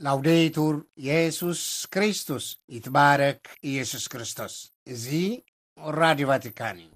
ላውዴቱር የሱስ ክርስቶስ፣ ይትባረክ ኢየሱስ ክርስቶስ። እዚ ራዲዮ ቫቲካን እዩ።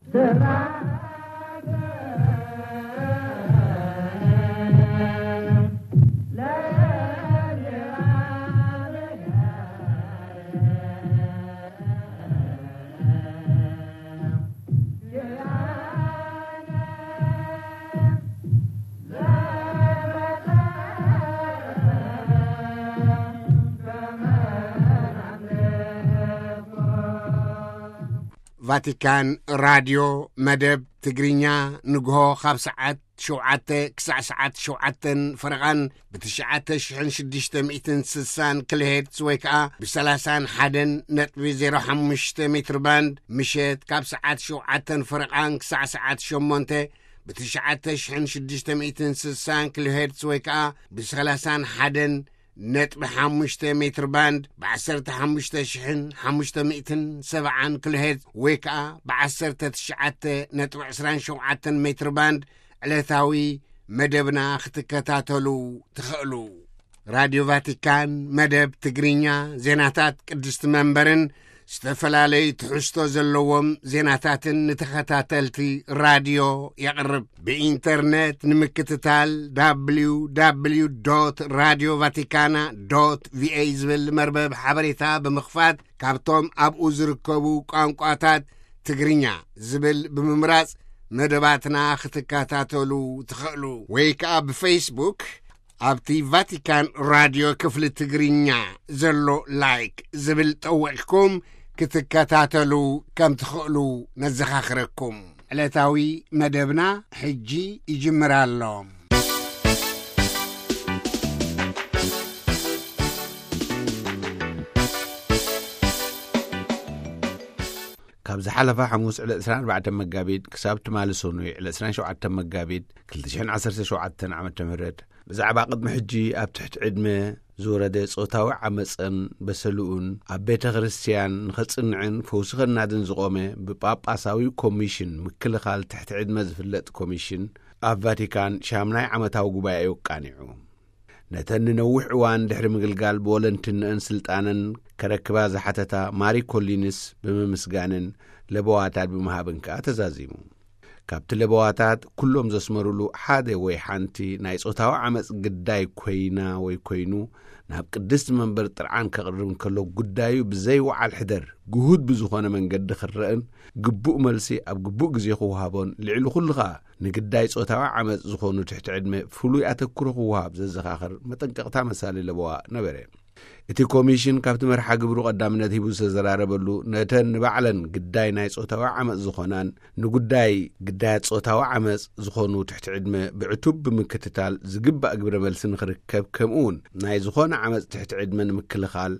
ቫቲካን ራድዮ መደብ ትግርኛ፣ ንግሆ ካብ ሰዓት ሸውዓተ ክሳዕ ሰዓት ሸውዓተን ፈረቓን ብ ትሽዓተ ሽሕን ሽዱሽተ ሚእትን ስሳን ኪሎ ሄርትዝ ወይ ከኣ ብ ሰላሳን ሓደን ነጥቢ ዜሮ ሓሙሽተ ሜትር ባንድ፣ ምሸት ካብ ሰዓት ሸውዓተን ፈረቓን ክሳዕ ሰዓት ሸሞንተ ብ ትሽዓተ ሽሕን ሽዱሽተ ሚእትን ስሳን ኪሎ ሄርትዝ ወይ ከኣ ብ ሰላሳን ሓደን ነጥቢ ሓሙሽተ ሜትር ባንድ፣ ብ ዓሰርተ ሓሙሽተ ሽሕን ሓሙሽተ ሚእትን ሰብዓን ኪሎ ሄርትዝ ወይ ከኣ ብ ዓሰርተ ትሽዓተ ነጥቢ ዕስራን ሸውዓተን ሜትር ባንድ ዕለታዊ መደብና ክትከታተሉ ትኽእሉ። ራድዮ ቫቲካን መደብ ትግርኛ፣ ዜናታት ቅድስቲ መንበርን ዝተፈላለዩ ትሕዝቶ ዘለዎም ዜናታትን ንተኸታተልቲ ራድዮ የቕርብ። ብኢንተርነት ንምክትታል፣ www radio vaticana va ዝብል መርበብ ሓበሬታ ብምኽፋት፣ ካብቶም ኣብኡ ዝርከቡ ቋንቋታት ትግርኛ ዝብል ብምምራጽ መደባትና ክትከታተሉ ትኽእሉ። ወይ ከኣ ብፌስቡክ ኣብቲ ቫቲካን ራድዮ ክፍሊ ትግርኛ ዘሎ ላይክ ዝብል ጠዊቕኩም ክትከታተሉ ከም ትኽእሉ ነዘኻኽረኩም። ዕለታዊ መደብና ሕጂ ይጅምር ኣሎ። ካብ ዝሓለፈ ሓሙስ ዕለት ዕስራን ኣርባዕተን መጋቢት ክሳብ ትማሊ ሰኑይ ዕለት ዕስራን ሸውዓተን መጋቢት ክልተ ሽሕን ዓሰርተ ሸውዓተን ዓመተ ምህረት፣ ብዛዕባ ቅድሚ ሕጂ ኣብ ትሕቲ ዕድመ ዝወረደ ጾታዊ ዓመጽን በሰልኡን ኣብ ቤተ ክርስቲያን ንኸጽንዕን ፈውሲ ኸናድን ዝቖመ ብጳጳሳዊ ኮሚሽን ምክልኻል ትሕቲ ዕድመ ዝፍለጥ ኮሚሽን ኣብ ቫቲካን ሻምናይ ዓመታዊ ጉባኤኡ ኣቃኒዑ። ነተን ንነዊሕ እዋን ድሕሪ ምግልጋል ብወለንትንአን ስልጣነን ከረክባ ዝሓተታ ማሪ ኮሊንስ ብምምስጋንን ለበዋታት ብምሃብን ከኣ ተዛዚሙ። ካብቲ ለበዋታት ኩሎም ዘስመሩሉ ሓደ ወይ ሓንቲ ናይ ጾታዊ ዓመጽ ግዳይ ኮይና ወይ ኮይኑ ናብ ቅድስቲ መንበር ጥርዓን ከቕርብ እንከሎ፣ ጉዳዩ ብዘይ ወዓል ሕደር ግሁድ ብዝኾነ መንገዲ ክረእን ግቡእ መልሲ ኣብ ግቡእ ግዜ ክወሃቦን፣ ልዕሊ ኩሉ ኸኣ ንግዳይ ጾታዊ ዓመጽ ዝኾኑ ትሕቲ ዕድመ ፍሉይ ኣተክሮ ክወሃብ ዘዘኻኽር መጠንቀቕታ መሳሊ ለበዋ ነበረ። እቲ ኮሚሽን ካብቲ መርሓ ግብሩ ቀዳምነት ሂቡ ዝተዘራረበሉ፣ ነተን ንባዕለን ግዳይ ናይ ጾታዊ ዓመጽ ዝኾናን ንጉዳይ ግዳያት ጾታዊ ዓመጽ ዝኾኑ ትሕቲ ዕድመ ብዕቱብ ብምክትታል ዝግባእ ግብረ መልሲ ንኽርከብ፣ ከምኡ እውን ናይ ዝኾነ ዓመጽ ትሕቲ ዕድመ ንምክልኻል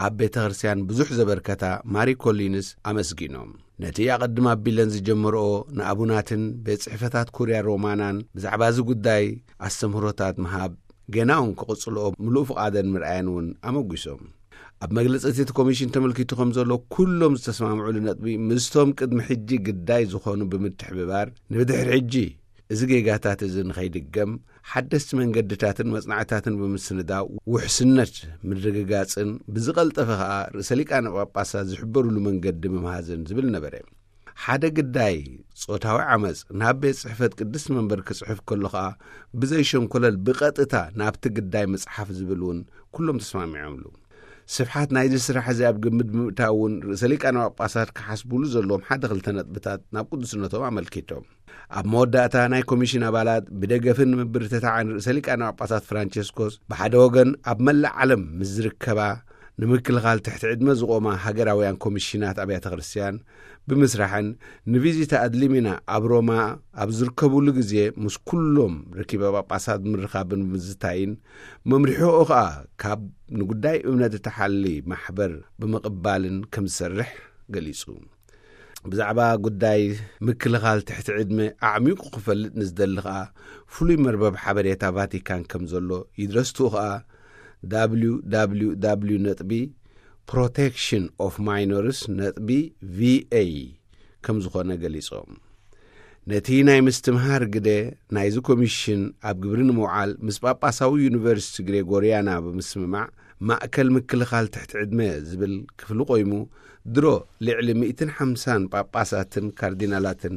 ኣብ ቤተ ክርስቲያን ብዙሕ ዘበርከታ ማሪ ኮሊንስ ኣመስጊኖም። ነቲ ኣቐድም ኣቢለን ዝጀመርኦ ንኣቡናትን ቤት ጽሕፈታት ኩርያ ሮማናን ብዛዕባ እዚ ጉዳይ ኣስተምህሮታት ምሃብ፣ ገና እውን ክቕጽልኦ ምሉእ ፍቓደን ምርኣየን እውን ኣመጒሶም። ኣብ መግለጺ እቲ ኮሚሽን ተመልኪቱ ከም ዘሎ፣ ኩሎም ዝተስማምዑሉ ነጥቢ ምስቶም ቅድሚ ሕጂ ግዳይ ዝኾኑ ብምትሕብባር፣ ንብድሕሪ ሕጂ እዚ ጌጋታት እዚ ንኸይድገም ሓደስቲ መንገድታትን መጽናዕታትን ብምስንዳው፣ ውሕስነት ምርግጋጽን ብዝቐልጠፈ ኸኣ ርእሰ ሊቃነ ጳጳሳት ዝሕበሩሉ መንገዲ ምምሃዝን ዝብል ነበረ። ሓደ ግዳይ ጾታዊ ዓመጽ ናብ ቤት ጽሕፈት ቅድስቲ መንበር ክጽሕፍ ከሎ ኸኣ ብዘይ ሸንኮለል ብቐጥታ ናብቲ ግዳይ ምጽሓፍ ዝብል እውን ኩሎም ተስማሚዖምሉ። ስፍሓት ናይዚ ስራሕ እዚ ኣብ ግምት ብምእታው እውን ርእሰ ሊቃነ ጳጳሳት ክሓስቡሉ ዘለዎም ሓደ ክልተ ነጥብታት ናብ ቅዱስነቶም ኣመልኪቶም። ኣብ መወዳእታ ናይ ኮሚሽን ኣባላት ብደገፍን ምብርትታዕን ርእሰ ሊቃነ ጳጳሳት ፍራንቸስኮስ፣ ብሓደ ወገን ኣብ መላእ ዓለም ምስ ዝርከባ ንምክልኻል ትሕቲ ዕድመ ዝቖማ ሃገራውያን ኮሚሽናት ኣብያተ ክርስቲያን ብምስራሕን፣ ንቪዚታ ኣድሊሚና ኣብ ሮማ ኣብ ዝርከቡሉ ግዜ ምስ ኩሎም ርኪበ ጳጳሳት ብምርኻብን ብምዝታይን፣ መምርሒኡ ኸኣ ካብ ንጉዳይ እምነት እተሓሊ ማሕበር ብምቕባልን ከም ዝሰርሕ ገሊጹ። ብዛዕባ ጉዳይ ምክልኻል ትሕቲ ዕድመ ኣዕሚቑ ክፈልጥ ንዝደሊ ኸኣ፣ ፍሉይ መርበብ ሓበሬታ ቫቲካን ከም ዘሎ፣ ይድረስቱ ኸኣ www ነጥቢ protection of minors ነጥቢ va ከም ዝኾነ ገሊጾም። ነቲ ናይ ምስትምሃር ግደ ናይዚ ኮሚሽን ኣብ ግብሪ ንምውዓል ምስ ጳጳሳዊ ዩኒቨርሲቲ ግሬጎርያና ብምስምማዕ፣ ማእከል ምክልኻል ትሕቲ ዕድመ ዝብል ክፍሊ ቆይሙ፣ ድሮ ልዕሊ ሚእትን ሓምሳን ጳጳሳትን ካርዲናላትን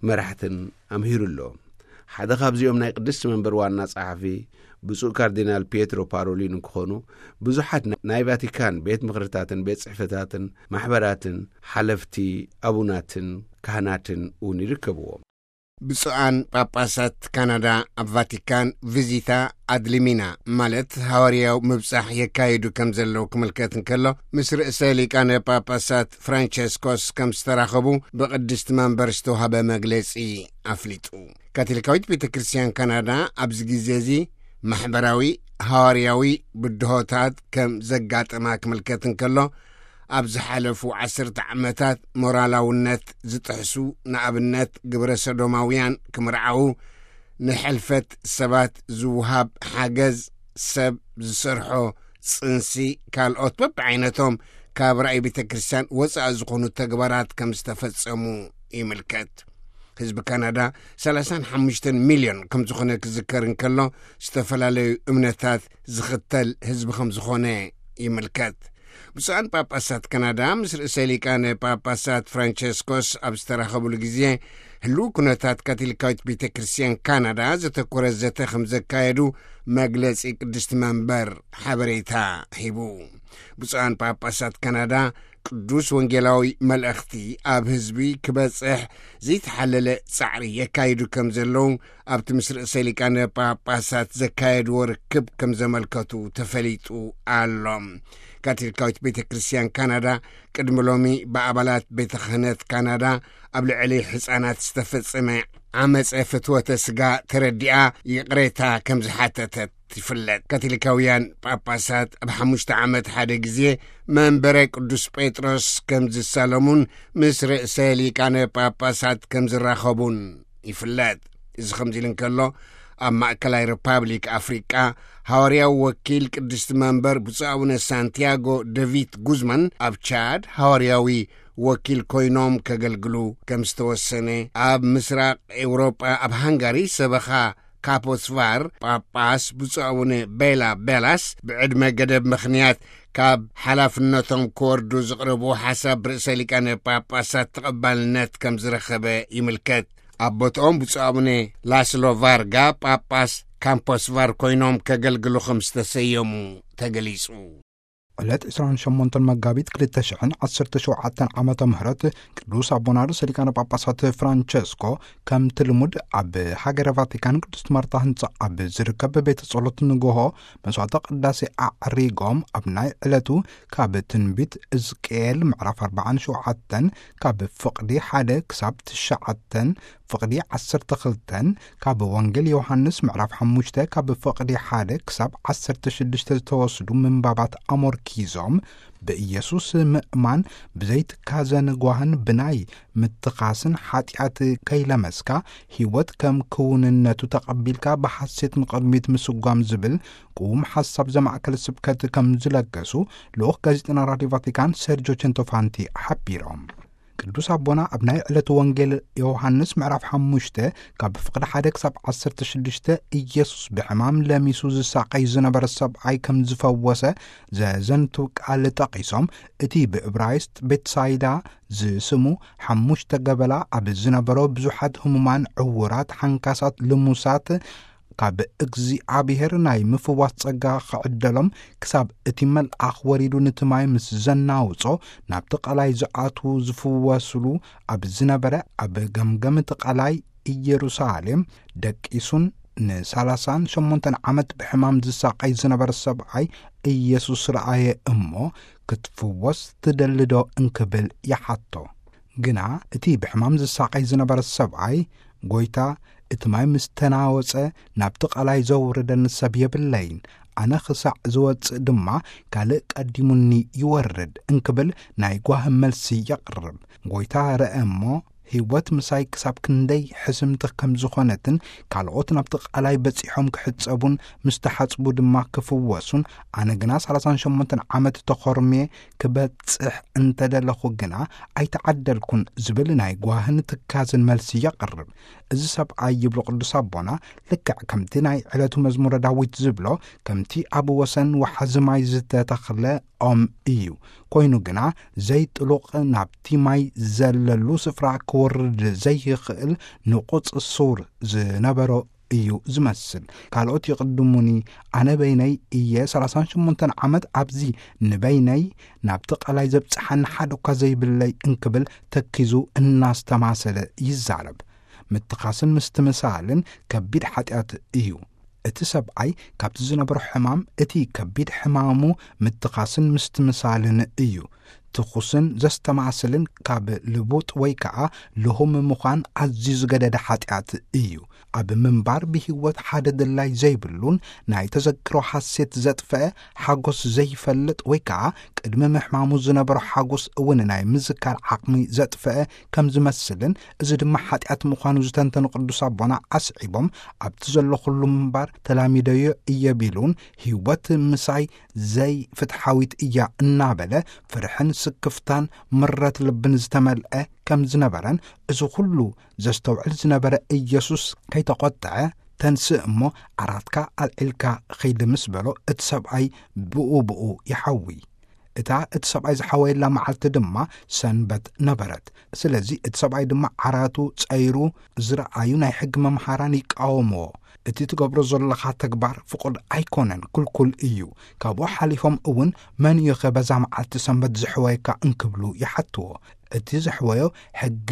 መራሕትን ኣምሂሩ ኣሎ። ሓደ ካብዚኦም ናይ ቅድስቲ መንበር ዋና ጸሓፊ ብፁዕ ካርዲናል ፒየትሮ ፓሮሊን ክኾኑ፣ ብዙሓት ናይ ቫቲካን ቤት ምኽርታትን ቤት ጽሕፈታትን ማሕበራትን ሓለፍቲ ኣቡናትን ካህናትን እውን ይርከብዎም። ብፁዓን ጳጳሳት ካናዳ ኣብ ቫቲካን ቪዚታ ኣድሊሚና፣ ማለት ሃዋርያዊ ምብጻሕ የካይዱ ከም ዘለዉ ክምልከት እንከሎ፣ ምስ ርእሰ ሊቃነ ጳጳሳት ፍራንቸስኮስ ከም ዝተራኸቡ ብቅድስቲ መንበር ዝተዋህበ መግለጺ ኣፍሊጡ። ካቶሊካዊት ቤተ ክርስቲያን ካናዳ ኣብዚ ግዜ እዚ ማሕበራዊ ሃዋርያዊ ብድሆታት ከም ዘጋጠማ ክምልከት እንከሎ፣ ኣብ ዝሓለፉ ዓሰርተ ዓመታት ሞራላውነት ዝጥሕሱ፣ ንኣብነት ግብረ ሰዶማውያን ክምርዓዉ፣ ንሕልፈት ሰባት ዝውሃብ ሓገዝ፣ ሰብ ዝሰርሖ ጽንሲ፣ ካልኦት በብዓይነቶም ካብ ራእይ ቤተ ክርስቲያን ወጻኢ ዝኾኑ ተግባራት ከም ዝተፈጸሙ ይምልከት። ህዝቢ ካናዳ ሰላሳን ሓሙሽተን ሚልዮን ከም ዝኾነ ክዝከር እንከሎ፣ ዝተፈላለዩ እምነታት ዝኽተል ህዝቢ ከም ዝኾነ ይምልከት። ብፁዓን ጳጳሳት ካናዳ ምስ ርእሰ ሊቃነ ጳጳሳት ፍራንቸስኮስ ኣብ ዝተራኸቡሉ ግዜ፣ ህልው ኩነታት ካቶሊካዊት ቤተ ክርስቲያን ካናዳ ዘተኮረ ዘተ ከም ዘካየዱ መግለጺ ቅድስቲ መንበር ሓበሬታ ሂቡ። ብፁዓን ጳጳሳት ካናዳ ቅዱስ ወንጌላዊ መልእኽቲ ኣብ ህዝቢ ክበጽሕ ዘይተሓለለ ጻዕሪ የካይዱ ከም ዘለዉ ኣብቲ ምስ ርእሰ ሊቃነ ጳጳሳት ዘካየድዎ ርክብ ከም ዘመልከቱ ተፈሊጡ ኣሎ። ካቶሊካዊት ቤተ ክርስቲያን ካናዳ ቅድሚ ሎሚ ብኣባላት ቤተ ክህነት ካናዳ ኣብ ልዕሊ ሕፃናት ዝተፈጸመ ዓመፀ ፍትወተ ስጋ ተረዲኣ ይቕሬታ ከም ዝሓተተት ይፍለጥ። ካቶሊካውያን ጳጳሳት ኣብ ሓሙሽተ ዓመት ሓደ ግዜ መንበረ ቅዱስ ጴጥሮስ ከም ዝሳለሙን ምስ ርእሰ ሊቃነ ጳጳሳት ከም ዝራኸቡን ይፍለጥ። እዚ ከምዚ ኢሉ እንከሎ፣ ኣብ ማእከላይ ሪፓብሊክ ኣፍሪቃ ሃዋርያዊ ወኪል ቅድስቲ መንበር ብፁዕ ኣቡነ ሳንቲያጎ ደቪት ጉዝማን፣ ኣብ ቻድ ሃዋርያዊ ወኪል ኮይኖም ከገልግሉ ከም ዝተወሰነ፣ ኣብ ምስራቕ ኤውሮጳ ኣብ ሃንጋሪ ሰበኻ ካፖስቫር ጳጳስ ብፁዕ ኣቡነ ቤላ ቤላስ ብዕድመ ገደብ ምኽንያት ካብ ሓላፍነቶም ክወርዱ ዝቕረብዎ ሓሳብ ብርእሰ ሊቃነ ጳጳሳት ተቐባልነት ከም ዝረኸበ ይምልከት። ኣብ ቦትኦም ብፁዕ ኣቡነ ላስሎ ቫርጋ ጳጳስ ካምፖስቫር ኮይኖም ከገልግሉ ከም ዝተሰየሙ ተገሊጹ። ዕለት ዕስራን ሸሞንተን መጋቢት ክልተ ሽሕን ዓሰርተ ሸውዓተን ዓመተ ምህረት ቅዱስ ኣቦና ርእሰ ሊቃነ ጳጳሳት ፍራንቸስኮ ከምቲ ልሙድ ኣብ ሃገረ ቫቲካን ቅድስት ማርታ ህንጻ ኣብ ዝርከብ ቤተ ጸሎት ንግሆ መስዋዕተ ቅዳሴ ኣዕሪጎም፣ ኣብ ናይ ዕለቱ ካብ ትንቢት እዝቅኤል ምዕራፍ ኣርባዓን ሸውዓተን ካብ ፍቕዲ ሓደ ክሳብ ትሽዓተን፣ ፍቕዲ ዓሰርተ ክልተን ካብ ወንጌል ዮሃንስ ምዕራፍ ሓሙሽተ ካብ ፍቕዲ ሓደ ክሳብ ዓሰርተ ሽዱሽተ ዝተወስዱ ምንባባት ኣሞርኪዞም፣ ብኢየሱስ ምእማን ብዘይትካዘ ንጓህን ብናይ ምትኻስን ሓጢኣት ከይለመስካ፣ ህይወት ከም ክውንነቱ ተቐቢልካ ብሓሴት ንቕድሚት ምስጓም ዝብል ቅዉም ሓሳብ ዘማእከለ ስብከት ከም ዝለገሱ ልኡኽ ጋዜጠና ራድዮ ቫቲካን ሴርጆ ቸንቶፋንቲ ሓቢሮም። ቅዱስ ኣቦና ኣብ ናይ ዕለቱ ወንጌል ዮሃንስ ምዕራፍ ሓሙሽተ ካብ ፍቕዲ ሓደ ክሳብ ዓሰርተ ሽዱሽተ፣ ኢየሱስ ብሕማም ለሚሱ ዝሳቐይ ዝነበረ ሰብኣይ ከም ዝፈወሰ ዘዘንቱ ቃል ጠቒሶም፣ እቲ ብዕብራይስጥ ቤትሳይዳ ዝስሙ ሓሙሽተ ገበላ ኣብ ዝነበሮ ብዙሓት ህሙማን፣ ዕውራት፣ ሓንካሳት፣ ልሙሳት፣ ካብ እግዚኣብሔር ናይ ምፍዋስ ጸጋ ክዕደሎም፣ ክሳብ እቲ መልኣኽ ወሪዱ ነቲ ማይ ምስ ዘናውጾ፣ ናብቲ ቀላይ ዝኣትዉ ዝፍወስሉ ኣብ ዝነበረ፣ ኣብ ገምገም እቲ ቀላይ ኢየሩሳሌም ደቂሱን ንሳላሳን ሸሞንተን ዓመት ብሕማም ዝሳቐይ ዝነበረ ሰብኣይ ኢየሱስ ረኣየ እሞ፣ ክትፍወስ ትደሊ ዶ እንክብል ይሓቶ። ግና እቲ ብሕማም ዝሳቐይ ዝነበረ ሰብኣይ፣ "ጐይታ፣ እቲ ማይ ምስ ተናወጸ፣ ናብቲ ቀላይ ዘውርደኒ ሰብ የብለይን። ኣነ ክሳዕ ዝወጽእ ድማ፣ ካልእ ቀዲሙኒ ይወርድ" እንክብል ናይ ጓሂ መልሲ የቕርብ። ጐይታ ረአ እሞ፣ ህይወት ምሳይ ክሳብ ክንደይ ሕስምቲ ከም ዝኾነትን፣ ካልኦት ናብቲ ቃላይ በጺሖም ክሕጸቡን ምስ ተሓጽቡ ድማ ክፍወሱን፣ ኣነ ግና ሰላሳን ሸሞንተን ዓመት ተኾርምየ ክበጽሕ እንተደለኹ ግና ኣይተዓደልኩን ዝብል ናይ ጓህን ትካዝን መልሲ የቕርብ። እዚ ሰብኣይ፣ ይብሉ ቅዱስ ኣቦና፣ ልክዕ ከምቲ ናይ ዕለቱ መዝሙረ ዳዊት ዝብሎ፣ ከምቲ ኣብ ወሰን ወሓዚ ማይ ዝተተኽለ ኦም እዩ። ኮይኑ ግና ዘይጥሉቕ፣ ናብቲ ማይ ዘለሉ ስፍራ ክወርድ ዘይኽእል ንቑጽ ሱር ዝነበሮ እዩ ዝመስል። ካልኦት ይቕድሙኒ፣ ኣነ በይነይ እየ ሰላሳን ሸሞንተን ዓመት ኣብዚ ንበይነይ ናብቲ ቃላይ ዘብጽሓኒ ሓደ እኳ ዘይብለይ እንክብል ተኪዙ እናስተማሰለ ይዛረብ። ምትኻስን ምስትምሳልን ከቢድ ሓጢኣት እዩ። እቲ ሰብኣይ ካብቲ ዝነበሮ ሕማም፣ እቲ ከቢድ ሕማሙ ምትኻስን ምስትምሳልን እዩ። ትኹስን ዘስተማስልን ካብ ልቡጥ ወይ ከኣ ልሁም ምዃን ኣዝዩ ዝገደደ ሓጢኣት እዩ። ኣብ ምንባር ብህይወት ሓደ ድላይ ዘይብሉን ናይ ተዘክሮ ሓሴት ዘጥፈአ፣ ሓጎስ ዘይፈልጥ ወይ ከኣ ቅድሚ ምሕማሙ ዝነበሮ ሓጎስ እውን ናይ ምዝካር ዓቕሚ ዘጥፈአ ከም ዝመስልን፣ እዚ ድማ ሓጢኣት ምዃኑ ዝተንተኑ ቅዱስ ኣቦና ኣስዒቦም፣ ኣብቲ ዘለኹሉ ምንባር ተላሚደዮ እየ ቢሉን፣ ህይወት ምሳይ ዘይፍትሓዊት እያ እናበለ ፍርሕን ስክፍታን ምረት ልብን ዝተመልአ ከም ዝነበረን፣ እዚ ኩሉ ዘስተውዕል ዝነበረ ኢየሱስ ከይተቖጥዐ፣ "ተንስእ እሞ ዓራትካ ኣልዒልካ ኺድ" ምስ በሎ፣ እቲ ሰብኣይ ብኡ ብኡ ይሓዊ። እታ እቲ ሰብኣይ ዝሓወየላ መዓልቲ ድማ ሰንበት ነበረት። ስለዚ እቲ ሰብኣይ ድማ ዓራቱ ጸይሩ፣ ዝረኣዩ ናይ ሕጊ መምሃራን ይቃወምዎ። "እቲ ትገብሮ ዘለኻ ተግባር ፍቑድ ኣይኮነን፣ ክልኩል እዩ። ካብኡ ሓሊፎም እውን መን እዩኸ በዛ መዓልቲ ሰንበት ዝሕወየካ?" እንክብሉ ይሓትዎ። እቲ ዘሕወዮ ሕጊ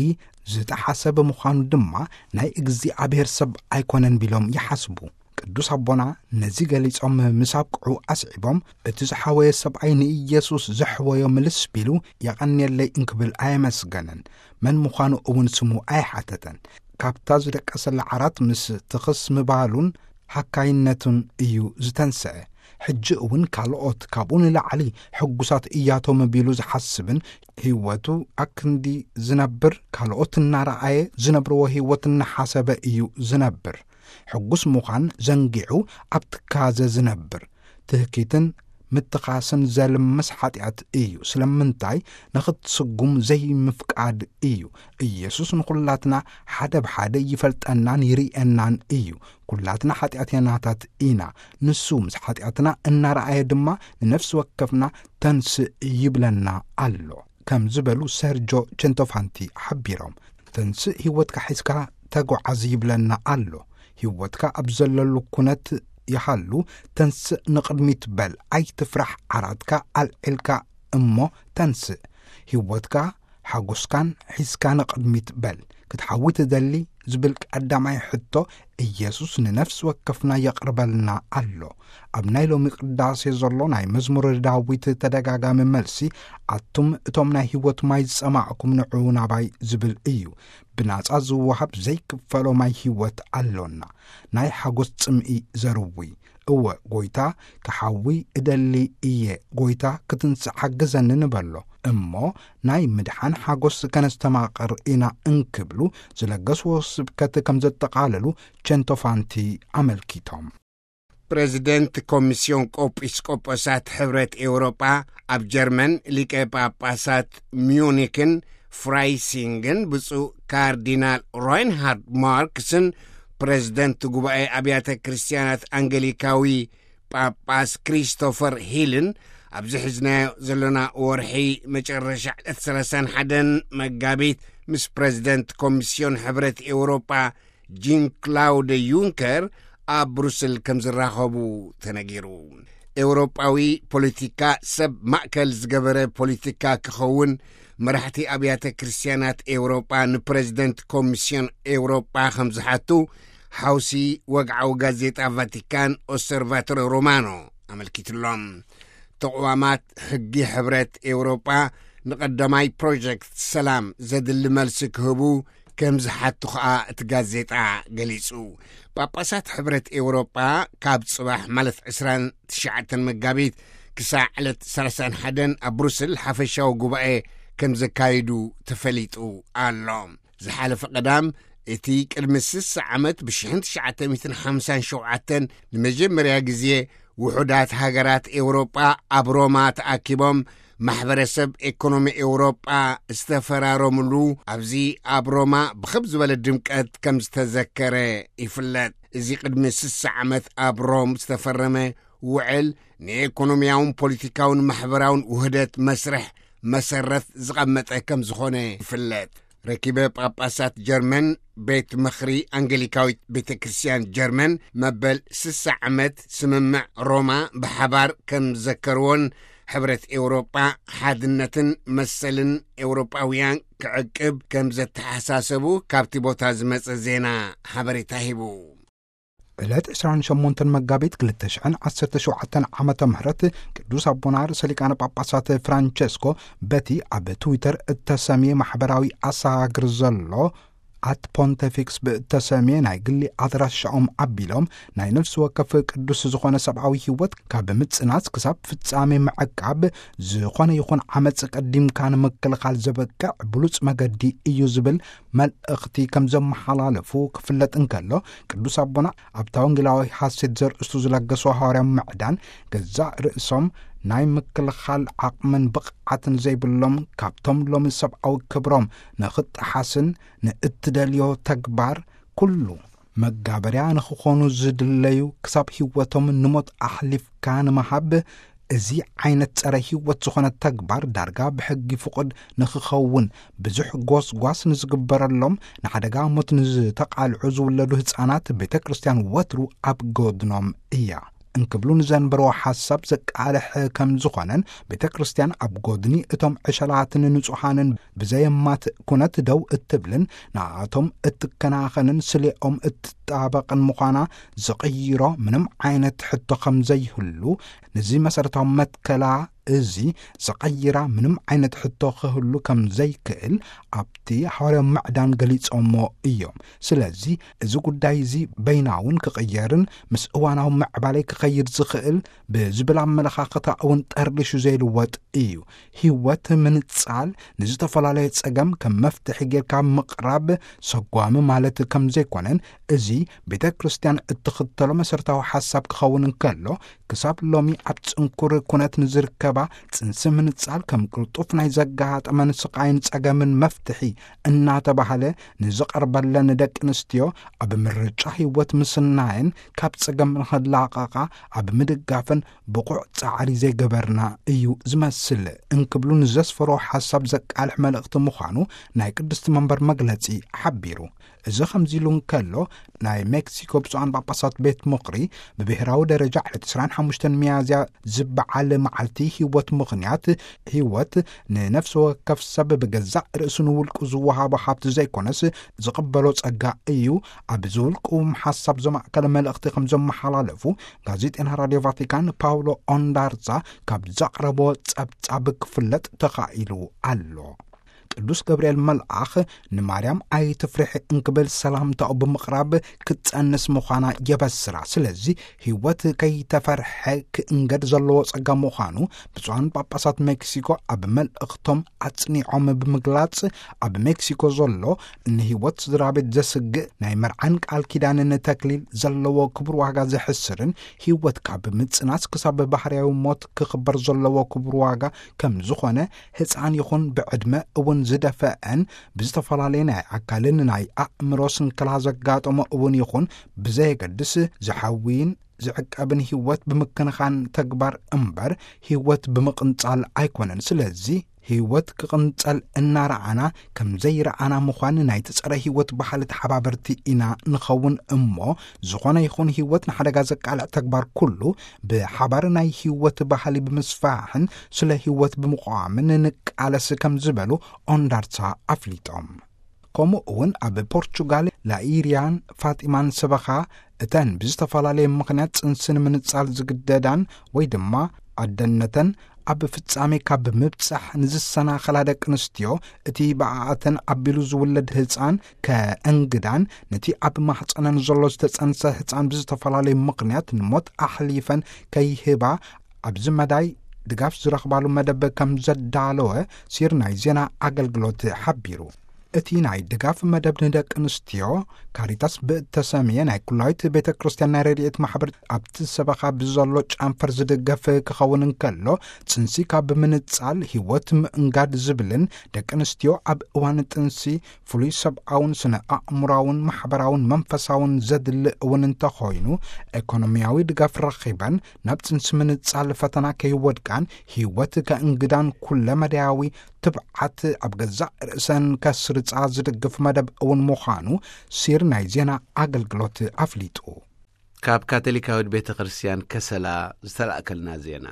ዝጠሓሰ ብምዃኑ ድማ ናይ እግዚኣብሔር ሰብ ኣይኮነን ቢሎም ይሓስቡ። ቅዱስ ኣቦና ነዚ ገሊጾም ምስ ኣብቅዑ ኣስዒቦም፣ "እቲ ዝሓወየ ሰብኣይ ንኢየሱስ ዘሕወዮ ምልስ ቢሉ የቐንየለይ እንክብል ኣየመስገነን፣ መን ምዃኑ እውን ስሙ ኣይሓተተን። ካብታ ዝደቀሰላ ዓራት ምስ ትኽስ ምባሉን ሃካይነቱን እዩ ዝተንስአ። ሕጂ እውን ካልኦት ካብኡ ንላዕሊ ሕጉሳት እያቶም" ቢሉ ዝሓስብን፣ ህይወቱ ኣክንዲ ዝነብር፣ ካልኦት እናረኣየ ዝነብርዎ ህይወት እናሓሰበ እዩ ዝነብር። ሕጉስ ምዃን ዘንጊዑ ኣብ ትካዘ ዝነብር፣ ትህኪትን ምትኻስን ዘልምስ ሓጢኣት እዩ። ስለምንታይ? ንኽትስጉም ዘይምፍቃድ እዩ። ኢየሱስ ንኹላትና ሓደ ብሓደ ይፈልጠናን ይርእየናን እዩ። ኩላትና ሓጢኣተኛታት ኢና። ንሱ ምስ ሓጢኣትና እናረኣየ ድማ ንነፍሲ ወከፍና "ተንስእ" ይብለና ኣሎ፣ ከም ዝበሉ ሰርጆ ቸንቶፋንቲ ሓቢሮም። "ተንስእ፣ ህይወትካ ሒዝካ ተጓዓዝ" ይብለና ኣሎ። ህይወትካ ኣብ ዘለሉ ኩነት ይሃሉ፣ ተንስእ፣ ንቕድሚት በል፣ ኣይትፍራሕ፣ ዓራትካ ኣልዒልካ እሞ ተንስእ። ህይወትካ ሓጎስካን ሒዝካ ንቕድሚት በል። ክትሓዊ ትደሊ ዝብል ቀዳማይ ሕቶ፣ ኢየሱስ ንነፍሲ ወከፍና የቕርበልና ኣሎ። ኣብ ናይ ሎሚ ቅዳሴ ዘሎ ናይ መዝሙር ዳዊት ተደጋጋሚ መልሲ፣ "ኣቱም እቶም ናይ ህይወት ማይ ዝጸማዕኩም ንዑ ናባይ" ዝብል እዩ። ብናጻ ዝወሃብ ዘይክፈሎ ማይ ህይወት ኣሎና። ናይ ሓጎስ ጽምኢ ዘርዊ። እወ፣ "ጎይታ፣ ክሓዊ እደሊ እየ፣ ጎይታ፣ ክትንስእ ሓግዘኒ" ንበሎ። እሞ ናይ ምድሓን ሓጎስ ከነስተማቕር ኢና እንክብሉ ዝለገስዎ ስብከት ከም ዘጠቓለሉ ቸንቶፋንቲ ኣመልኪቶም። ፕሬዚደንት ኮሚስዮን ቆጲስቆጶሳት ሕብረት ኤውሮጳ ኣብ ጀርመን፣ ሊቀ ጳጳሳት ሚዩኒክን ፍራይሲንግን ብፁዕ ካርዲናል ሮይንሃርድ ማርክስን ፕሬዚደንት ጉባኤ ኣብያተ ክርስቲያናት ኣንገሊካዊ ጳጳስ ክሪስቶፈር ሂልን ኣብዚ ሒዝናዮ ዘለና ወርሒ መጨረሻ ዕለት ሰላሳን ሓደን መጋቢት ምስ ፕሬዚደንት ኮሚስዮን ሕብረት ኤውሮጳ ጂን ክላውድ ዩንከር ኣብ ብሩስል ከም ዝራኸቡ ተነጊሩ። ኤውሮጳዊ ፖለቲካ ሰብ ማእከል ዝገበረ ፖለቲካ ክኸውን መራሕቲ ኣብያተ ክርስቲያናት ኤውሮጳ ንፕሬዚደንት ኮሚስዮን ኤውሮጳ ከም ዝሓቱ ሓውሲ ወግዓዊ ጋዜጣ ቫቲካን ኦብሰርቫቶሪ ሮማኖ ኣመልኪቱሎም። ተቕዋማት ሕጊ ሕብረት ኤውሮጳ ንቐዳማይ ፕሮጀክት ሰላም ዘድሊ መልሲ ክህቡ ከም ዝሓቱ ኸኣ እቲ ጋዜጣ ገሊጹ። ጳጳሳት ሕብረት ኤውሮጳ ካብ ጽባሕ ማለት ዕስራን ትሽዓተን መጋቢት ክሳዕ ዕለት ሰላሳን ሓደን ኣብ ብሩስል ሓፈሻዊ ጉባኤ ከም ዘካይዱ ተፈሊጡ ኣሎ። ዝሓለፈ ቀዳም፣ እቲ ቅድሚ ስሳ ዓመት ብ1957 ንመጀመርያ ግዜ ውሑዳት ሃገራት ኤውሮጳ ኣብ ሮማ ተኣኪቦም ማሕበረሰብ ኤኮኖሚ ኤውሮጳ ዝተፈራረምሉ፣ ኣብዚ ኣብ ሮማ ብኽብ ዝበለ ድምቀት ከም ዝተዘከረ ይፍለጥ። እዚ ቅድሚ ስሳ ዓመት ኣብ ሮም ዝተፈረመ ውዕል ንኤኮኖሚያውን ፖለቲካውን ማሕበራውን ውህደት መስርሕ መሰረት ዝቐመጠ ከም ዝኾነ ይፍለጥ። ረኪበ ጳጳሳት ጀርመን፣ ቤት ምኽሪ ኣንገሊካዊት ቤተ ክርስቲያን ጀርመን፣ መበል ስሳ ዓመት ስምምዕ ሮማ ብሓባር ከም ዘከርዎን፣ ሕብረት ኤውሮጳ ሓድነትን መሰልን ኤውሮጳውያን ክዕቅብ ከም ዘተሓሳሰቡ ካብቲ ቦታ ዝመጸ ዜና ሓበሬታ ሂቡ። ዕለት ዕስራን ሸሞንተን መጋቢት ክልተ ሽሕን ዓሰርተ ሸውዓተን ዓመተ ምህረት ቅዱስ ኣቦና ርእሰ ሊቃነ ጳጳሳት ፍራንቸስኮ በቲ ኣብ ትዊተር እተሰምየ ማሕበራዊ ኣሰጋግር ዘሎ ኣት ፖንተፊክስ ብእተሰምየ ናይ ግሊ ኣድራሻኦም ኣቢሎም፣ ናይ ነፍሲ ወከፍ ቅዱስ ዝኾነ ሰብኣዊ ህይወት ካብ ምጽናስ ክሳብ ፍጻሜ ምዕቃብ ዝኾነ ይኹን ዓመጽ ቀዲምካ ንምክልኻል ዘበቅዕ ብሉጽ መገዲ እዩ ዝብል መልእኽቲ ከም ዘመሓላለፉ ክፍለጥ እንከሎ፣ ቅዱስ ኣቦና ኣብታ ወንጌላዊ ሐሴት ዘርእስቱ ዝለገሱ ሃዋርያዊ ምዕዳን፣ ገዛእ ርእሶም ናይ ምክልኻል ዓቕምን ብቕዓትን ዘይብሎም፣ ካብቶም ሎሚ ሰብኣዊ ክብሮም ንኽጠሓስን ንእትደልዮ ተግባር ኩሉ መጋበርያ ንኽኾኑ ዝድለዩ፣ ክሳብ ህይወቶም ንሞት ኣሕሊፍካ ንምሃብ፣ እዚ ዓይነት ጸረ ህይወት ዝኾነ ተግባር ዳርጋ ብሕጊ ፍቑድ ንኽኸውን፣ ብዙሕ ጎስጓስ ንዝግበረሎም፣ ንሓደጋ ሞት ንዝተቓልዑ ዝውለዱ ህጻናት ቤተ ክርስቲያን ወትሩ ኣብ ጎድኖም እያ እንክብሉ ንዘንበርዎ ሓሳብ ዘቃልሕ ከም ዝኾነን፣ ቤተ ክርስቲያን ኣብ ጎድኒ እቶም ዕሸላትን ንጹሓንን ብዘየማት ኩነት ደው እትብልን ንኣቶም እትከናኸንን ስሌኦም እትጣበቕን ምዃና ዝቕይሮ ምንም ዓይነት ሕቶ ከም ዘይህሉ፣ ነዚ መሰረታዊ መትከላ እዚ ዝቐይራ ምንም ዓይነት ሕቶ ክህሉ ከም ዘይክእል ኣብቲ ሃዋርያዊ ምዕዳን ገሊጾሞ እዮም። ስለዚ እዚ ጉዳይ እዚ በይናውን ክቕየርን ምስ እዋናዊ ምዕባለ ክኸይድ ዝኽእል ብዝብል ኣመለኻኽታ እውን ጠርሊሹ ዘይልወጥ እዩ። ህይወት ምንጻል ንዝተፈላለየ ጸገም ከም መፍትሒ ጌርካ ምቕራብ ሰጓሚ ማለት ከም ዘይኮነን፣ እዚ ቤተ ክርስቲያን እትኽተሎ መሰረታዊ ሓሳብ ክኸውን እንከሎ፣ ክሳብ ሎሚ ኣብ ጽንኩር ኩነት ንዝርከባ ጽንሲ ምንጻል ከም ቅልጡፍ ናይ ዘጋጠመን ስቓይን ጸገምን መፍትሒ እናተባህለ ንዝቐርበለን ደቂ ኣንስትዮ፣ ኣብ ምርጫ ህይወት ምስናየን ካብ ጸገም ንኽላቐቓ ኣብ ምድጋፈን ብቑዕ ጻዕሪ ዘይገበርና እዩ ዝመስል እንክብሉ ንዘስፈሮ ሓሳብ ዘቃልሕ መልእኽቲ ምዃኑ ናይ ቅድስቲ መንበር መግለጺ ሓቢሩ። እዚ ከምዚ ኢሉ እንከሎ፣ ናይ ሜክሲኮ ብፁዓን ጳጳሳት ቤት ምኽሪ ብብሔራዊ ደረጃ ዕለት ዕስራን ሓሙሽተን ሚያዝያ ዝበዓል መዓልቲ ህይወት ምኽንያት፣ ህይወት ንነፍሲ ወከፍ ሰብ ብገዛእ ርእሱ ንውልቁ ዝወሃቦ ሃብቲ ዘይኮነስ ዝቕበሎ ጸጋ እዩ። ኣብ ዝውልቁ ሓሳብ ዘማእከለ መልእኽቲ ከም ዘመሓላለፉ ጋዜጠና ራድዮ ቫቲካን ፓውሎ ኦንዳርዛ ካብ ዘቕረቦ ጸብጻብ ክፍለጥ ተኻኢሉ ኣሎ። ቅዱስ ገብርኤል መልኣኽ ንማርያም ኣይትፍርሒ እንክብል ሰላምታኡ ብምቕራብ ክትጸንስ ምዃና የበስራ። ስለዚ ህይወት ከይተፈርሐ ክእንገድ ዘለዎ ጸጋ ምዃኑ ብፁዓን ጳጳሳት ሜክሲኮ ኣብ መልእኽቶም ኣጽኒዖም ብምግላጽ፣ ኣብ ሜክሲኮ ዘሎ ንህይወት ስድራ ቤት ዘስግእ ናይ መርዓን ቃል ኪዳንን ተክሊል ዘለዎ ክቡር ዋጋ ዘሕስርን ህይወት ካብ ምጽናስ ክሳብ ባህርያዊ ሞት ክኽበር ዘለዎ ክቡር ዋጋ ከም ዝኾነ፣ ህፃን ይኹን ብዕድመ እውን ዝደፈአን ብዝተፈላለየ ናይ ኣካልን ናይ ኣእምሮ ስንክላ ዘጋጠሞ እውን ይኹን ብዘየገድስ ዝሓዊን ዝዕቀብን ህይወት ብምክንኻን ተግባር እምበር ህይወት ብምቕንጻል ኣይኮነን። ስለዚ ህይወት ክቕንጸል እናረኣና ከም ዘይረኣና ምዃን ናይቲ ጸረ ህይወት ባህሊ ተሓባበርቲ ኢና ንኸውን እሞ፣ ዝኾነ ይኹን ህይወት ንሓደጋ ዘቃልዕ ተግባር ኩሉ ብሓባር ናይ ህይወት ባህሊ ብምስፋሕን ስለ ህይወት ብምቕዋምን ንቃለስ ከም ዝበሉ ኦንዳርሳ ኣፍሊጦም። ከምኡ እውን ኣብ ፖርቹጋል ላኢሪያን ፋጢማን ሰበኻ እተን ብዝተፈላለየ ምኽንያት ጽንሲ ንምንጻል ዝግደዳን ወይ ድማ ኣደነተን ኣብ ፍጻሜ ካብ ምብጻሕ ንዝሰናኸላ ደቂ ኣንስትዮ፣ እቲ ብኣኣተን ኣቢሉ ዝውለድ ህጻን ከእንግዳን ነቲ ኣብ ማሕጸነን ዘሎ ዝተጸንሰ ህጻን ብዝተፈላለየ ምኽንያት ንሞት ኣሕሊፈን ከይህባ ኣብዚ መዳይ ድጋፍ ዝረኽባሉ መደብ ከም ዘዳለወ ሲር ናይ ዜና ኣገልግሎት ሓቢሩ። እቲ ናይ ድጋፍ መደብ ንደቂ ኣንስትዮ ካሪታስ ብእተሰምየ ናይ ኩላዊት ቤተ ክርስቲያን ናይ ረድኤት ማሕበር ኣብቲ ሰበኻ ብዘሎ ጨንፈር ዝድገፍ ክኸውን እንከሎ፣ ጽንሲ ካብ ምንጻል ህይወት ምእንጋድ ዝብልን ደቂ ኣንስትዮ ኣብ እዋን ጥንሲ ፍሉይ ሰብኣውን ስነ ኣእምሮኣውን ማሕበራውን መንፈሳውን ዘድሊ እውን እንተኾይኑ፣ ኤኮኖሚያዊ ድጋፍ ረኺበን ናብ ጽንሲ ምንጻል ፈተና ከይወድቃን ህይወት ከእንግዳን ኩለ መዳያዊ ትብዓት ኣብ ገዛእ ርእሰን ከስርጻ ዝድግፍ መደብ እውን ምዃኑ ሲር ናይ ዜና ኣገልግሎት ኣፍሊጡ። ካብ ካቶሊካዊት ቤተ ክርስቲያን ከሰላ ዝተላእከልና ዜና።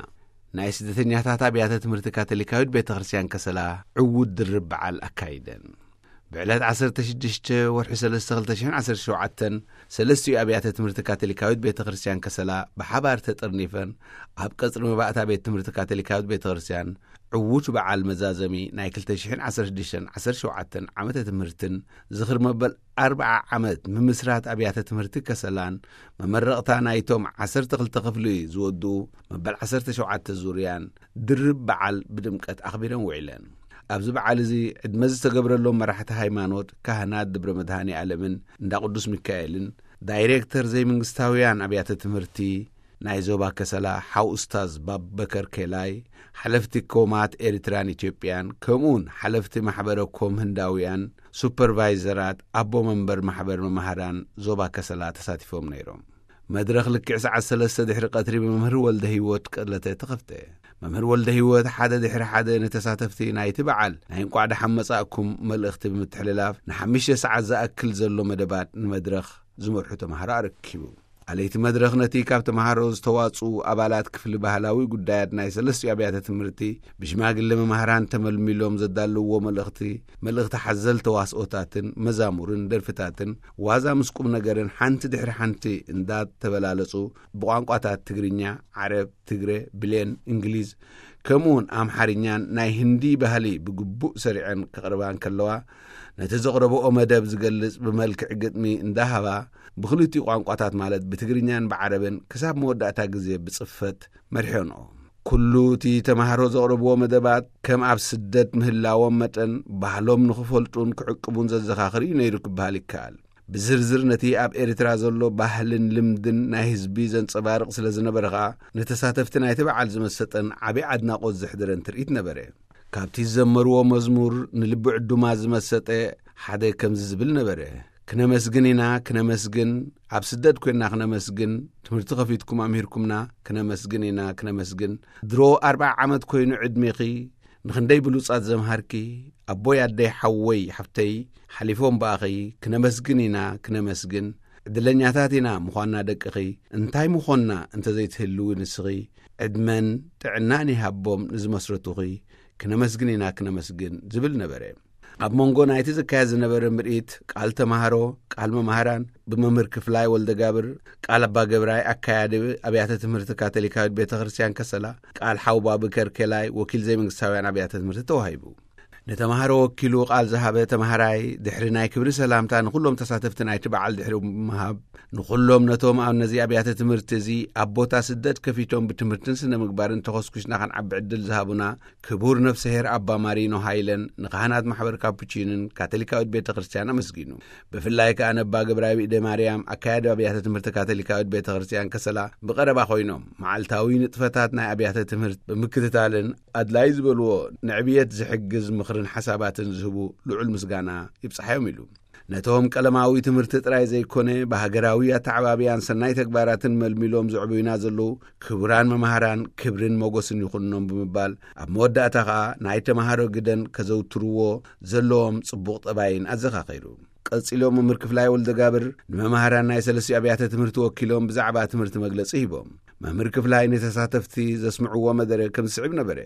ናይ ስደተኛታት ኣብያተ ትምህርቲ ካቶሊካዊት ቤተ ክርስቲያን ከሰላ ዕዉት ድርብ በዓል ኣካይደን። ብዕለት ዓሰርተ ሽዱሽተ ወርሒ ሰለስተ ክልተ ሽሕን ዓሰርተ ሸውዓተን ሰለስቲኡ ኣብያተ ትምህርቲ ካቶሊካዊት ቤተ ክርስቲያን ከሰላ ብሓባር ተጠርኒፈን ኣብ ቀጽሪ መባእታ ቤት ትምህርቲ ካቶሊካዊት ቤተ ክርስቲያን ዕዉት በዓል መዛዘሚ ናይ ክልተ ሽሕን ዓሰርተ ሽዱሽተን ዓሰርተ ሸውዓተን ዓመተ ትምህርትን ዝኽሪ መበል ኣርብዓ ዓመት ምምስራት ኣብያተ ትምህርቲ ከሰላን መመረቕታ ናይቶም ዓሰርተ ክልተ ክፍሊ ዝወድኡ መበል ዓሰርተ ሸውዓተ ዙርያን ድርብ በዓል ብድምቀት ኣኽቢረን ውዒለን። ኣብዚ በዓል እዚ ዕድመ ዝተገብረሎም መራሕቲ ሃይማኖት፣ ካህናት ደብረ መድሃኔ ኣለምን እንዳ ቅዱስ ሚካኤልን፣ ዳይሬክተር ዘይመንግስታውያን ኣብያተ ትምህርቲ ናይ ዞባ ከሰላ ሓው ኡስታዝ ባበከር ኬላይ፣ ሓለፍቲ ኮማት ኤርትራን ኢትዮጵያን፣ ከምኡውን ሓለፍቲ ማሕበረ ኮም ህንዳውያን፣ ሱፐርቫይዘራት፣ ኣቦ መንበር ማሕበር መማህራን ዞባ ከሰላ ተሳቲፎም ነይሮም። መድረኽ ልክዕ ሰዓት ሰለስተ ድሕሪ ቀትሪ ብመምህር ወልደ ህይወት ቀለተ ተኸፍተ። መምህር ወልደ ህይወት ሓደ ድሕሪ ሓደ ንተሳተፍቲ ናይቲ በዓል ናይ እንቋዕ ደሓን መጻእኩም መልእኽቲ ብምትሕልላፍ፣ ንሓሙሽተ ሰዓት ዝኣክል ዘሎ መደባት ንመድረኽ ዝመርሑ ተማሃሮ ኣረኪቡ። ኣለይቲ መድረኽ ነቲ ካብ ተማሃሮ ዝተዋጽኡ ኣባላት ክፍሊ ባህላዊ ጉዳያት ናይ ሰለስቲኡ ኣብያተ ትምህርቲ ብሽማግለ መማህራን ተመልሚሎም ዘዳለውዎ መልእኽቲ፣ መልእኽቲ ሓዘል ተዋስኦታትን መዛሙርን ደርፍታትን ዋዛ ምስ ቁም ነገርን ሓንቲ ድሕሪ ሓንቲ እንዳተበላለጹ ብቋንቋታት ትግርኛ፣ ዓረብ፣ ትግረ፣ ብሌን፣ እንግሊዝ፣ ከምኡውን ኣምሓርኛን ናይ ህንዲ ባህሊ ብግቡእ ሰሪዐን ከቕርባ እንከለዋ፣ ነቲ ዘቕረብኦ መደብ ዝገልጽ ብመልክዕ ግጥሚ እንዳሃባ፣ ብኽልቲኡ ቋንቋታት ማለት ብትግርኛን ብዓረብን ክሳብ መወዳእታ ግዜ ብጽፈት መሪሐንኦ። ኩሉ እቲ ተማሃሮ ዘቕረብዎ መደባት ከም ኣብ ስደት ምህላዎም መጠን ባህሎም ንኽፈልጡን ክዕቅቡን ዘዘኻኽር እዩ ነይሩ ክበሃል ይከኣል። ብዝርዝር ነቲ ኣብ ኤርትራ ዘሎ ባህልን ልምድን ናይ ህዝቢ ዘንጸባርቕ ስለ ዝነበረ ኸኣ፣ ንተሳተፍቲ ናይቲ በዓል ዝመሰጠን ዓቢ ኣድናቖት ዘሕደረን ትርኢት ነበረ። ካብቲ ዝዘመርዎ መዝሙር ንልቢ ዕዱማት ዝመሰጠ ሓደ ከምዚ ዝብል ነበረ። ክነመስግን ኢና፣ ክነመስግን፣ ኣብ ስደት ኮይንና ክነመስግን፣ ትምህርቲ ከፊትኩም ኣምሂርኩምና፣ ክነመስግን ኢና፣ ክነመስግን። ድሮ ኣርብዓ ዓመት ኮይኑ ዕድሜኺ፣ ንኽንደይ ብሉጻት ዘምሃርኪ፣ ኣቦይ፣ ኣደይ፣ ሓወይ፣ ሓፍተይ፣ ሓሊፎም ብኣኺ፣ ክነመስግን ኢና፣ ክነመስግን። ዕድለኛታት ኢና ምዃንና ደቅኺ፣ እንታይ ምኾንና እንተዘይትህልዊ ንስኺ፣ ዕድመን ጥዕናን ይሃቦም ንዝመስረቱኺ፣ ክነመስግን ኢና፣ ክነመስግን ዝብል ነበረ። ኣብ መንጎ ናይቲ ዝካየድ ዝነበረ ምርኢት፣ ቃል ተማሃሮ፣ ቃል መማህራን፣ ብመምህር ክፍላይ ወልደጋብር፣ ቃል ኣባ ገብራይ፣ ኣካያዲ ኣብያተ ትምህርቲ ካቶሊካዊት ቤተ ክርስቲያን ከሰላ፣ ቃል ሓው ባብከር ኬላይ፣ ወኪል ዘይመንግስታውያን ኣብያተ ትምህርቲ ተዋሂቡ። ንተማሃሮ ወኪሉ ቃል ዝሃበ ተማሃራይ፣ ድሕሪ ናይ ክብሪ ሰላምታ ንኹሎም ተሳተፍቲ ናይቲ በዓል ድሕሪ ምሃብ፣ ንኹሎም ነቶም ኣብ ነዚ ኣብያተ ትምህርቲ እዚ ኣብ ቦታ ስደት ከፊቶም ብትምህርትን ስነ ምግባርን ተኾስኩስና ክንዓቢ ዕድል ዝሃቡና ክቡር ነፍሰሄር ኣባ ማሪኖ ሃይለን፣ ንካህናት ማሕበር ካፑቺንን ካቶሊካዊት ቤተ ክርስቲያን ኣመስጊኑ። ብፍላይ ከኣ ነባ ገብራዊ ኢደ ማርያም፣ ኣካያዲ ኣብያተ ትምህርቲ ካቶሊካዊት ቤተ ክርስቲያን ከሰላ ብቐረባ ኮይኖም፣ መዓልታዊ ንጥፈታት ናይ ኣብያተ ትምህርቲ ብምክትታልን ኣድላይ ዝበልዎ ንዕብየት ዝሕግዝ ምኽርን ሓሳባትን ዝህቡ ልዑል ምስጋና ይብጽሓዮም ኢሉ። ነቶም ቀለማዊ ትምህርቲ ጥራይ ዘይኮነ፣ ብሃገራዊ ኣተዓባብያን ሰናይ ተግባራትን መልሚሎም ዘዕብዩና ዘለዉ ክቡራን መማህራን ክብርን ሞገስን ይኹንኖም ብምባል፣ ኣብ መወዳእታ ኸኣ ናይ ተማሃሮ ግደን ከዘውትርዎ ዘለዎም ጽቡቕ ጠባይን ኣዘኻኺሩ። ቀጺሎም መምህር ክፍላይ ወልደጋብር ንመማህራን ናይ ሰለስቲኡ ኣብያተ ትምህርቲ ወኪሎም ብዛዕባ ትምህርቲ መግለጺ ሂቦም። መምህር ክፍላይ ንተሳተፍቲ ዘስምዕዎ መደረ ከም ዝስዕብ ነበረ።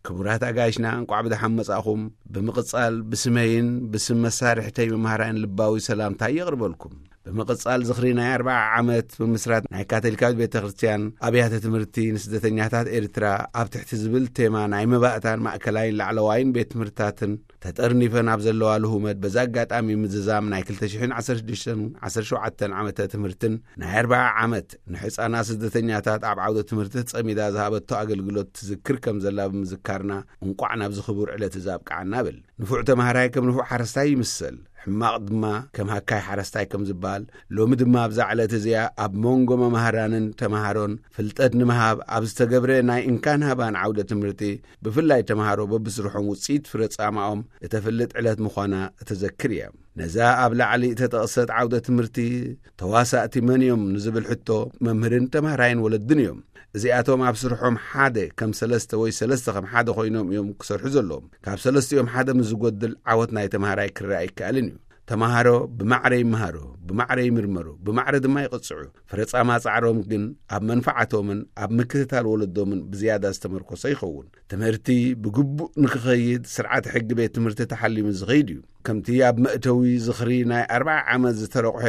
ክቡራት ኣጋይሽና፣ እንቋዕ ብደሓን መጻእኹም። ብምቕጻል፣ ብስመይን ብስም መሳርሕተይ መማህራይን ልባዊ ሰላምታይ የቕርበልኩም። ብምቕጻል ዝኽሪ ናይ ኣርብዓ ዓመት ምምስራት ናይ ካቶሊካዊት ቤተ ክርስቲያን ኣብያተ ትምህርቲ ንስደተኛታት ኤርትራ ኣብ ትሕቲ ዝብል ቴማ ናይ መባእታን ማእከላይን ላዕለዋይን ቤት ትምህርትታትን ተጠርኒፈን ኣብ ዘለዋ ልሁመት፣ በዚ ኣጋጣሚ ምዝዛም ናይ ክልተ ሽሕን ዓሰርተ ሽዱሽተን ዓሰርተ ሸውዓተን ዓመተ ትምህርትን ናይ ኣርብዓ ዓመት ንሕጻናት ስደተኛታት ኣብ ዓውደ ትምህርቲ ተጸሚዳ ዝሃበቶ ኣገልግሎት ትዝክር ከም ዘላ ብምዝካርና፣ እንቋዕ ናብዚ ክቡር ዕለት እዚ ኣብቅዓና እብል። ንፉዕ ተማሃራይ ከም ንፉዕ ሓረስታይ ይምሰል፣ ሕማቕ ድማ ከም ሃካይ ሓረስታይ ከም ዝበሃል፣ ሎሚ ድማ ኣብዛ ዕለት እዚኣ ኣብ መንጎ መማህራንን ተማሃሮን ፍልጠት ንምሃብ ኣብ ዝተገብረ ናይ እንካን ሃባን ዓውደ ትምህርቲ፣ ብፍላይ ተማሃሮ በብስርሖም ውጽኢት ፍረ ጻማኦም እተፍልጥ ዕለት ምዃና እተዘክር እያ። ነዛ ኣብ ላዕሊ እተጠቕሰት ዓውደ ትምህርቲ ተዋሳእቲ መን እዮም ንዝብል ሕቶ፣ መምህርን ተማሃራይን ወለድን እዮም። እዚኣቶም ኣብ ስርሖም ሓደ ከም ሰለስተ ወይ ሰለስተ ከም ሓደ ኮይኖም እዮም ክሰርሑ ዘለዎም። ካብ ሰለስቲኦም ሓደ ምስ ዝጎድል፣ ዓወት ናይ ተማሃራይ ክረኣ ኣይከኣልን እዩ። ተማሃሮ ብማዕረ ይመሃሩ፣ ብማዕረ ይምርመሩ፣ ብማዕረ ድማ ይቕጽዑ። ፍረ ጻማ ጻዕሮም ግን ኣብ መንፈዓቶምን ኣብ ምክትታል ወለዶምን ብዝያዳ ዝተመርኮሰ ይኸውን። ትምህርቲ ብግቡእ ንክኸይድ፣ ስርዓት ሕጊ ቤት ትምህርቲ ተሓሊሙ ዝኸይድ እዩ። ከምቲ ኣብ መእተዊ ዝኽሪ ናይ ኣርብዓ ዓመት ዝተረቑሐ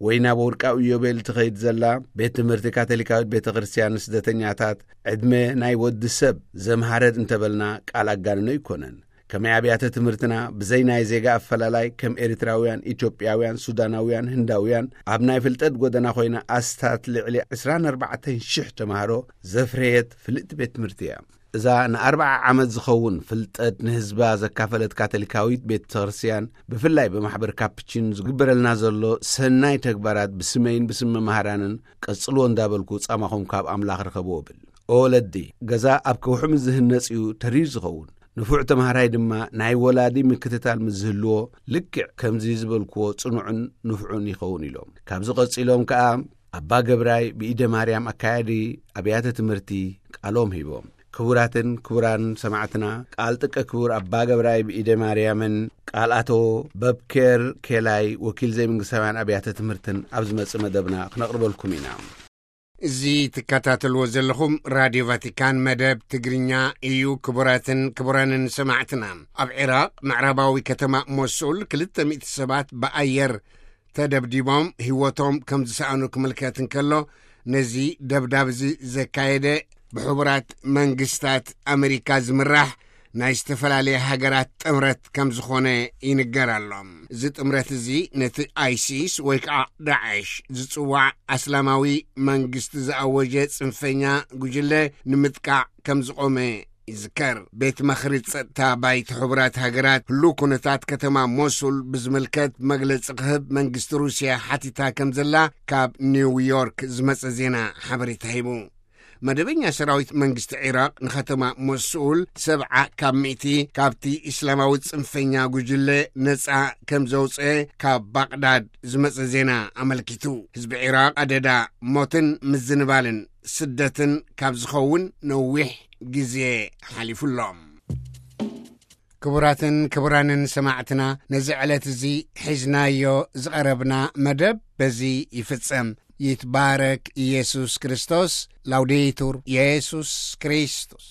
ወይ ናብ ወርቃዊ ዮቤል ትኸይድ ዘላ ቤት ትምህርቲ ካቶሊካዊት ቤተ ክርስቲያን ንስደተኛታት፣ ዕድመ ናይ ወዲ ሰብ ዘምሃረት እንተበልና ቃል ኣጋንኖ ኣይኮነን። ከመይ ኣብያተ ትምህርትና ብዘይ ናይ ዜጋ ኣፈላላይ ከም ኤርትራውያን፣ ኢትዮጵያውያን፣ ሱዳናውያን፣ ህንዳውያን ኣብ ናይ ፍልጠት ጎደና ኮይና ኣስታት ልዕሊ ዕስራን ኣርባዕተን ሽሕ ተማሃሮ ዘፍረየት ፍልጥቲ ቤት ትምህርቲ እያ። እዛ ንኣርብዓ ዓመት ዝኸውን ፍልጠት ንህዝባ ዘካፈለት ካቶሊካዊት ቤተ ክርስቲያን፣ ብፍላይ ብማሕበር ካፕችን ዝግበረልና ዘሎ ሰናይ ተግባራት ብስመይን ብስም መማህራንን ቀጽልዎ እንዳበልኩ ጻማኹም ካብ ኣምላኽ ርኸብዎ ብል። ኦ ወለዲ፣ ገዛ ኣብ ከውሒ ምስ ዝህነጽ እዩ ተሪር ዝኸውን። ንፉዕ ተማሃራይ ድማ ናይ ወላዲ ምክትታል ምስ ዝህልዎ፣ ልክዕ ከምዚ ዝበልክዎ ጽኑዕን ንፉዕን ይኸውን ኢሎም። ካብዚ ቀጺሎም ከኣ ኣባ ገብራይ ብኢደ ማርያም ኣካያዲ ኣብያተ ትምህርቲ ቃሎም ሂቦም። ክቡራትን ክቡራን ሰማዕትና፣ ቃል ጥቀ ክቡር ኣባ ገብራይ ብኢደ ማርያምን ቃል ኣቶ በብኬር ኬላይ ወኪል ዘይመንግስታውያን ኣብያተ ትምህርትን ኣብ ዝመጽእ መደብና ክነቕርበልኩም ኢና። እዚ ትከታተልዎ ዘለኹም ራድዮ ቫቲካን መደብ ትግርኛ እዩ። ክቡራትን ክቡራንን ሰማዕትና፣ ኣብ ዒራቕ ምዕራባዊ ከተማ ሞሱል ክልተ ሚእቲ ሰባት ብኣየር ተደብዲቦም ህይወቶም ከም ዝሰኣኑ ክምልከት እንከሎ፣ ነዚ ደብዳብ እዚ ዘካየደ ብሕቡራት መንግስታት ኣመሪካ ዝምራሕ ናይ ዝተፈላለየ ሃገራት ጥምረት ከም ዝኾነ ይንገር ኣሎ። እዚ ጥምረት እዚ ነቲ ኣይሲስ ወይ ከዓ ዳዕሽ ዝጽዋዕ ኣስላማዊ መንግስቲ ዝኣወጀ ጽንፈኛ ጉጅለ ንምጥቃዕ ከም ዝቖመ ይዝከር። ቤት ምኽሪ ጸጥታ ባይቶ ሕቡራት ሃገራት ህሉው ኩነታት ከተማ ሞሱል ብዝምልከት መግለጺ ክህብ መንግስቲ ሩስያ ሓቲታ ከም ዘላ ካብ ኒውዮርክ ዝመጸ ዜና ሓበሬታ ሂቡ። መደበኛ ሰራዊት መንግስቲ ዒራቕ ንከተማ ሞሱል ሰብዓ ካብ ሚእቲ ካብቲ እስላማዊ ጽንፈኛ ጉጅለ ነጻ ከም ዘውጽአ ካብ ባቕዳድ ዝመጸ ዜና ኣመልኪቱ። ህዝቢ ዒራቕ ኣደዳ ሞትን ምዝንባልን ስደትን ካብ ዝኸውን ነዊሕ ግዜ ሓሊፉ ኣሎ። ክቡራትን ክቡራንን ሰማዕትና፣ ነዚ ዕለት እዚ ሒዝናዮ ዝቐረብና መደብ በዚ ይፍጸም። ይትባረክ ኢየሱስ ክርስቶስ። ላውዴቱር ኢየሱስ ክርስቶስ።